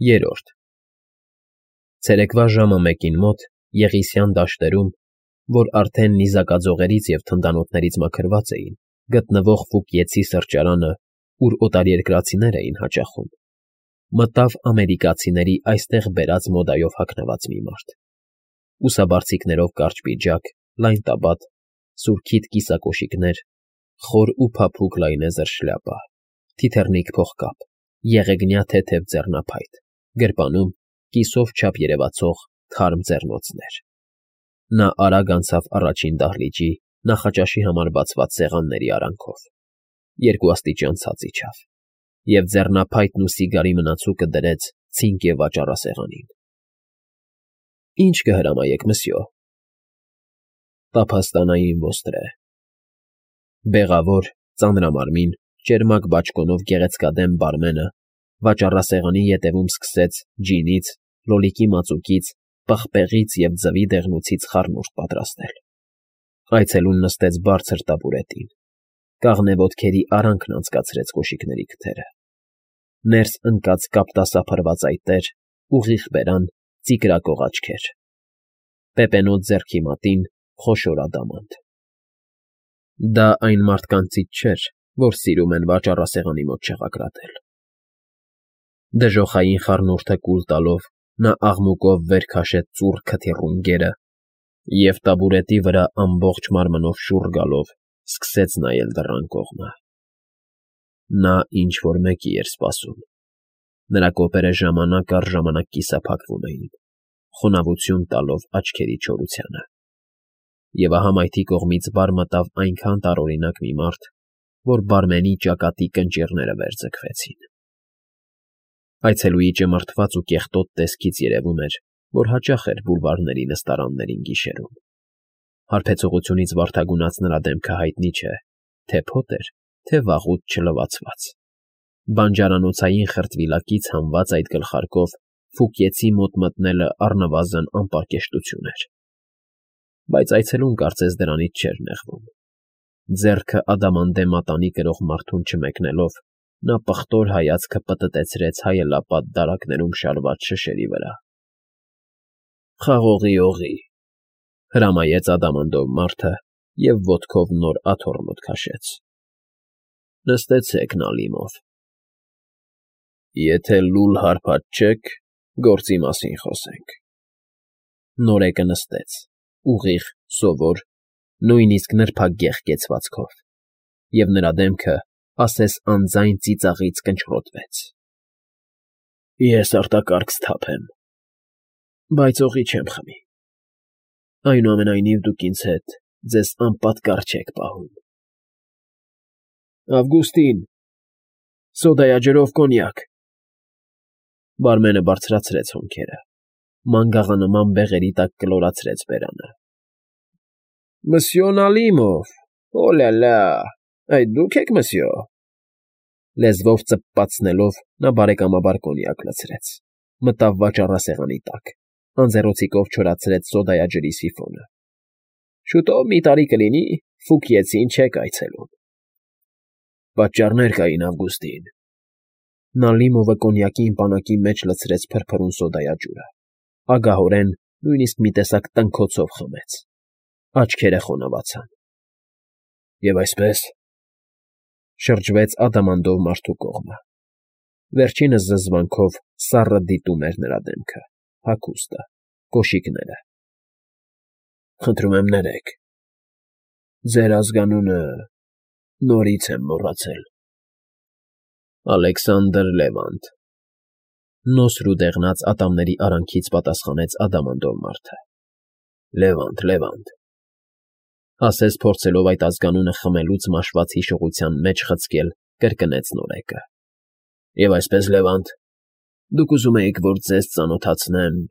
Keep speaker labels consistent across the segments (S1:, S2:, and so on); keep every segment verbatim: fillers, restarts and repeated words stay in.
S1: Երրորդ Ցերեկվա ժամը մեկին մոտ Եղիսյան դաշտերում, որ արդեն նիզակաձողերից և թնդանոթներից մաքրված էին, գտնվող Ֆուկիեցի սրճարանը, ուր օտարերկրացիներ էին հաճախում, մտավ ամերիկացիների այստեղ բերած մոդայով հագնված մի մարդ. ուսաբարձիկներով կարճ պիջակ, լայն տաբատ, սուրքիթ կիսակոշիկներ, խոր ու փափուկ լայնեզր շլյապա, թիթեռնիկ փողկապ, եղեգնյա թեթև ձեռնափայտ, գրպանում կիսով չափ երևացող թարմ ձեռնոցներ. Նա արագ անցավ առաջին դահլիճի նախաճաշի համար բացված սեղանների արանքով, երկուաստիճան ցած իջավ և ձեռնափայտն ու սիգարի մնացուկը դրեց ցինկ և վաճառասեղանին։ ֊ Ի՞նչ կհրամայեք, մսյո։ ֊ Տափաստանային ոստրե։ Բեղավոր, ծանրամարմին, ճերմակ բաճկոնով գեղեցկադեմ բարմենը վաճառասեղանի ետևում սկսեց ջինից, լոլիկի մածուկից, պղպեղից և ձվի դեղնուցից խառնուրդ պատրաստել։ Այցելուն նստեց բարձր տաբուրետին, կաղնե ոտքերի արանքն անցկացրեց կոշիկների քթերը, ներս ընկած կապտասափռված այտեր, ուղիղ բերան, ծիկրակող աչքեր, պեպենոտ ձեռքի մատին խոշոր ադամանդ։ Դա այն մարդկանցից չէր, որ սիրում են վաճառասեղանի մոտ չեղակրատել։ Դժոխային խառնուրդը կուլ տալով նա աղմուկով վեր քաշեց ծուռ քթի ռունգերը և տաբուրետի վրա ամբողջ մարմնով շուռ գալով սկսեց նայել դռան կողմը։ Նա ինչ֊որ մեկի էր սպասում։ Նրա կոպերը ժամանակ առ ժամանակ կիսափակվում էին, խոնավություն տալով աչքերի չորությանը։ Եվ ահա մայթի կողմից բար մտավ այնքան տարօրինակ մի մարդ, որ բարմենի ճակատի կնճիռները վերձգվեցին։ Այցելուի ճմռթված ու կեղտոտ տեսքից երևում էր, որ հաճախ էր բուլվարների նստարաններին գիշերում։ Հարբեցողությունից վարդագունած նրա դեմքը հայտնի չէ, թե փոթ էր, թե վաղուց չլվացված։ Բանջարանոցային խրտվիլակից հանված այդ գլխարկով Ֆուկիեցի մոտ մտնելը առնվազն անպարկեշտություն էր։ Բայց այցելուն կարծես դրանից չէր նեղվում։ Ձեռքը ադամանդե մատանի կրող մարդուն չմեկնելով, նա պղտոր հայացքը պտտեցրեց հայելապատ դարակներում շարված շշերի վրա։ ֊ Խաղողի օղի, ֊ հրամայեց ադամանդով մարդը և ոտքով նոր աթոռ մոտ քաշեց։ ֊ Նստեցեք, Նալիմով։ Եթե լուլ հարբած չեք, գործի մասին խոսենք։ Նորեկը նստեց, ուղիղ, սովոր, նույնիսկ նրբագեղ կեցվածքով, և նրա դեմքը ասես անձայն ծիծաղից կնճռոտվեց։ Ես արտակարգ սթափ եմ, բայց օղի չեմ խմի։ Այնուամենայնիվ դուք ինձ հետ ձեզ անպատկառ չեք պահում։ Ավգուստին, սոդայաջրով կոնյակ։ Բարմենը բարձրացրեց հոնքերը, մանգաղանման բեղերի տակ կլորացրեց բերանը։ Մսյո Նալիմով, օ՜լա֊լա, այդ դու՞ք եք, մսյո։ Լեզվով ծպպացնելով նա բարեկամաբար կոնյակ լցրեց, մտավ վաճառասեղանի տակ, անձեռոցիկով չորացրեց սոդայաջրի սիֆոնը։ Շուտով մի տարի կլինի, Ֆուկիեցին չեք այցելում։ Պատճառներ կային, Ավգուստին։ Նալիմովը կոնյակի պանակի մեջ լցրեց փրփրուն սոդայաջուրը, ագահորեն, նույնիսկ մի տեսակ տնքոցով խմեց։ Աչքերը խոնավացան։ Եվ այսպես, շրջվեց ադամանդով մարդու կողմը։ Վերջինս զզվանքով սառը դիտում էր նրա դեմքը, հագուստը, կոշիկները։ Խնդրում եմ ներեք։ Ձեր ազգանունը նորից եմ մոռացել։ Ալեքսանդր Լևանտ, նոսր ու դեղնած ատամների արանքից պատասխանեց ադամանդով մարդը։ Լևանտ, Լևանտ, ասես փորձելով այդ ազգանունը խմելուց մաշված հիշողության մեջ խցկել, կրկնեց նորեկը։ Եվ այսպես, Լևանտ, դուք ուզում էիք, որ ձեզ ծանոթացնեմ։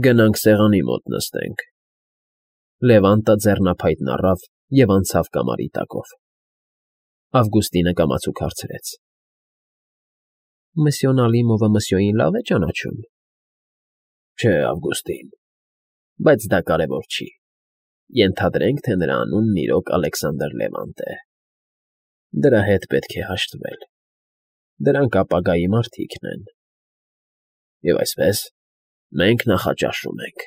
S1: Գնանք սեղանի մոտ նստենք։ Լևանտը ձեռնափայտն առավ և անցավ կամարի տակով։ Ավգուստինը կամացուկ հարցրեց. Մսյո Նալիմովը մսյոին լավ է ճանաչում։ Չէ, Ավգուստին, բայց դա կարևոր չի։ Ենթադրենք, թե նրա անունն իրոք Ալեքսանդր Լևանտ է։ Դրա հետ պետք է հաշտվել։ Դրանք ապագայի մարդիկն են։ Եվ այսպես, մենք նախաճաշում ենք…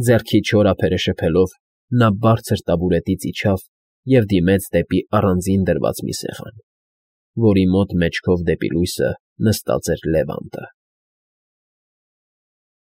S1: Ձեռքի չորափերը շփելով՝ նա բարձր տաբուրետից իջավ և դիմեց դեպի առանձին դրված մի սեղան, որի մոտ մեջքով դեպի լույսը նստած էր Լևանտը։